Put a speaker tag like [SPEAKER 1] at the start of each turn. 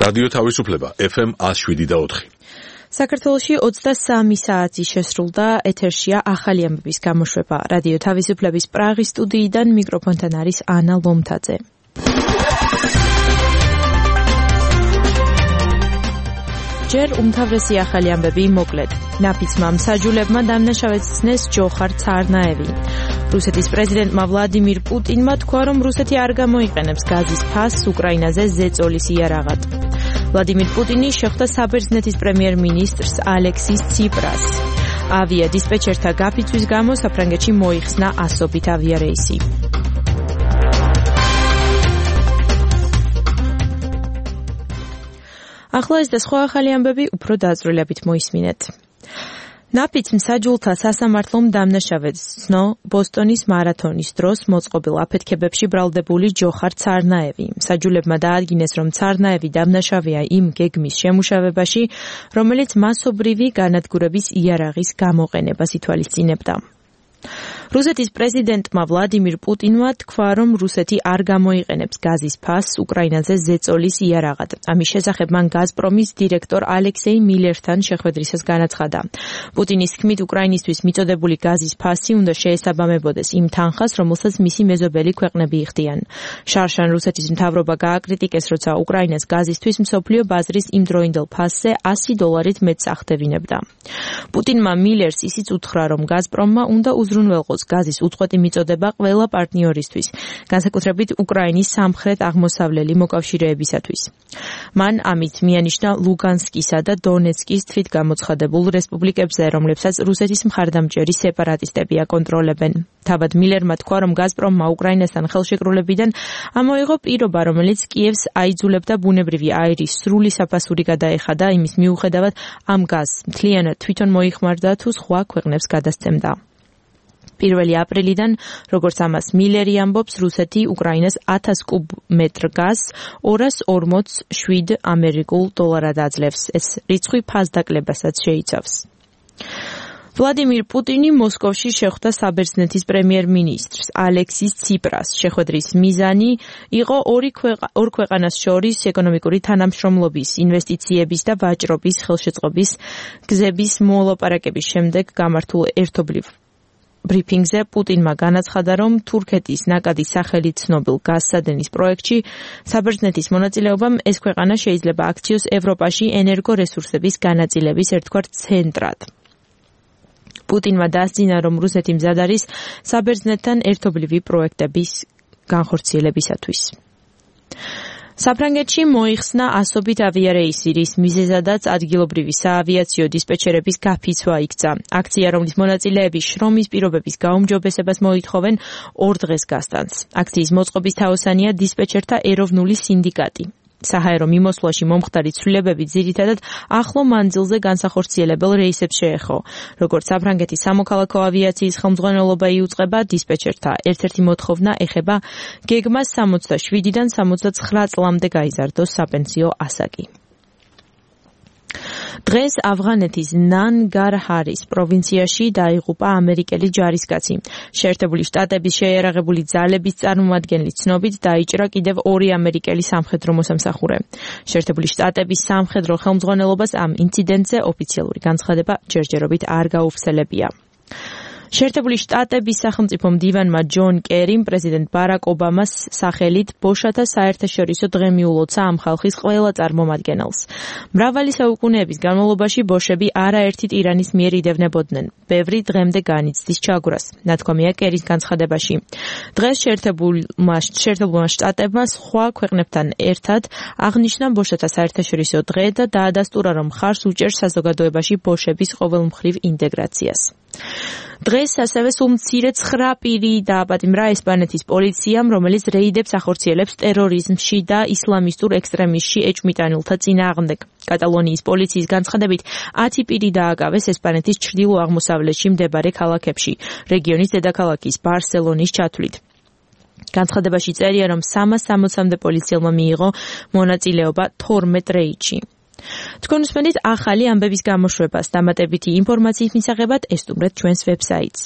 [SPEAKER 1] რადიო თავისუფლება FM 107.4.
[SPEAKER 2] საქართველოში 23 საათი შესრულდა, ეთერშია ახალი ამბების გამოშვება. რადიო თავისუფლების პრაღის სტუდიიდან მიკროფონთან არის ანა ლომთაძე. ჯერ უმთავრესი ახალი ამბები მოკლედ. ნაფიცმა მსაჯულებმა დამნაშავეცნეს ჯოხარ ცარნაევი. რუსეთის პრეზიდენტმა ვლადიმირ პუტინმა თქვა, რომ რუსეთი არ გამოიყენებს გაზის ფასს უკრაინაზე ზეწოლის იარაღად. ვლადიმირ პუტინი შეხვდა საბერძნეთის პრემიერ-მინისტრს ალექსის ციპრას. ავიადისპეჩერთა გაფიცვის გამო საფრანგეთში მოიხსნა ასობით ავიარეისი. ახლა ეს და სხვა ახალი ამბები უფრო დაწვრილებით მოისმინეთ. ნაფიც მსაჯულთა სასამართლომ დამნაშავეცნო ბოსტონის მარათონის დროს მოწყობილ აფეთქებებში ბრალდებული ჯოხარ ცარნაევი. მსაჯულებმა დაადგინეს, რომ ცარნაევი დამნაშავეა იმ გეგმის შემუშავებაში, რომელიც მასობრივი განადგურების იარაღის გამოყენებას ითვალისწინებდა. რუსეთის პრეზიდენტმა ვლადიმირ პუტინმა თქვა, რომ რუსეთი არ გამოიყენებს გაზის ფასს უკრაინაზე ზეწოლის იარაღად. ამის შესახებ მან გაზპრომის დირექტორ ალექსეი მილერთან შეხვედრისას განაცხადა. პუტინის თქმით, უკრაინისთვის მიწოდებული გაზის ფასი უნდა შეესაბამებოდეს იმ თანხას, რომელსაც მისი მეზობელი ქვეყნები იხდიან. შარშან რუსეთის მთავრობა გააკრიტიკეს, როცა უკრაინას გაზისთვის მსოფლიო ბაზრის იმდროინდელ ფასზე $100 მეტს ახდევინებდა. პუტინმა მილერს ისიც უთხრა, რომ გაზპრომმა უნდა უზრუნველყოს გაზის უწყვეტი მიწოდება ყველა პარტნიორისთვის, განსაკუთრებით უკრაინის სამხრეთ-აღმოსავლელი მოკავშირეებისათვის. მან ამით მიანიშნა ლუგანსკისა და დონეცკის თვითგამოცხადებულ რესპუბლიკებზე, რომლებსაც რუსეთის მხარდამჭერი სეპარატისტები აკონტროლებენ. თავად მილერმა თქვა, რომ გაზპრომმა უკრაინასთან ხელშეკრულებიდან ამოიღო პირობა, რომელიც კიევს აიძულებდა ბუნებრივი აირის სრული საფასური გადაეხადა, იმის მიუხედავად ამ გაზს მთლიანად თვითონ მოიხმარდა თუ სხვა ქვეყნებს გადასცემდა. 1 აპრილიდან, როგორც ამას მილერი ამბობს, რუსეთი უკრაინას 1000 კუბ-მეტრ გაზს $247 ამერიკულ აძლევს. ეს რიცხვი ფასდაკლებასაც შეიცავს. ვლადიმირ პუტინი მოსკოვში შეხვდა საბერძნეთის პრემიერ-მინისტრს ალექსის ციპრას. შეხვედრის მიზანი იყო ორ ქვეყანას შორის ეკონომიკური თანამშრომლობის, ინვესტიციების და ვაჭრობის ხელშეწყობის გზების მოლაპარაკების შემდეგ გამართულ ერთობლივ ბრიფინგზე პუტინმა განაცხადა, რომ თურქეთის ნაკადის სახელით ცნობილ გაზსადენის პროექტში საბერძნეთის მონაწილეობამ ეს ქვეყანა შეიძლება აქციოს ევროპაში ენერგორესურსების განაწილების ერთგვარ ცენტრად. პუტინმა დასძინა, რომ რუსეთი მზად არის საბერძნეთთან ერთობლივი პროექტების განხორციელებისათვის. საფრანგეთში მოიხსნა ასობით ავიარეისი, რის მიზეზადაც ადგილობრივი საავიაციო დისპეჩერების გაფიცვა იქცა. აქცია, რომლის მონაწილეები შრომის პირობების გაუმჯობესებას მოითხოვენ 2 დღეს გასტანს. აქციის მოწყობის თაოსანია დისპეჩერთა ეროვნული სინდიკატი. საჰაერო მიმოსვლაში მომხდარი ცვლილებები ძირითადად ახლო მანძილზე განსახორციელებელ რეისებს შეეხო. როგორც საფრანგეთის სამოქალაქო ავიაციის ხელმძღვანელობა იუწყება, დისპეჩერთა ერთ-ერთი მოთხოვნა ეხება გეგმას 67-დან 79 წლამდე გაიზარდოს საპენსიო ასაკი. დღეს ავღანეთის ნანგარჰარის პროვინციაში დაიღუპა ამერიკელი ჯარისკაცი. შეერთებული შტატების შეიარაღებული ძალების წარმომადგენლის ცნობით დაიჭრა კიდევ 2 ამერიკელი სამხედრო მოსამსახურე. შეერთებული შტატების სამხედრო ხელმძღვანელობას ამ ინციდენტზე ოფიციალური განცხადება ჯერჯერობით არ გაუხსენებია. შეერთებული შტატების სახელმწიფო მდივანმა ჯონ კერიმ პრეზიდენტ ბარაკ ობამას სახელით ბოშათა საერთაშორისო დღე მიულოცა ამ ხალხის ყველა წარმომადგენელს. მრავალი საუკუნეების განმავლობაში ბოშები არაერთით ირანის მიერ იდევნებოდნენ. ბევრი დღემდე განიცდის ჩაგვრას, ნათქვამია კერის განცხადებაში. დღეს შეერთებულმა შტატებმა სხვა ქვეყნებთან ერთად აღნიშნა ბოშათა საერთაშორისო დღე და დაადასტურა, რომ მხარს უჭერს საზოგადოებაში ბოშების ყოველმხრივ ინტეგრაციას. დღეს ასევე სულ მცირე 9 პირი დააპატიმრა ესპანეთის პოლიციამ, რომელიც რეიდებს ახორციელებს ტერორიზმში და ისლამისტურ ექსტრემიზმში ეჭვმიტანილთა წინააღმდეგ. კატალონიის პოლიციის განცხადებით 10 პირი დააკავეს ესპანეთის ჩრდილო-აღმოსავლეთში მდებარე ქალაქებში, რეგიონის დედაქალაქის ბარსელონის ჩათვლით. განცხადებაში წერია, რომ 360-მდე პოლიციელმა მიიღო მონაწილეობა 12 რეიდში. თქვენ უსმენთ ახალი ამბების გამოშვებას. დამატებითი ინფორმაციის მისაღებად ესტუმრეთ ჩვენს ვებსაიტს.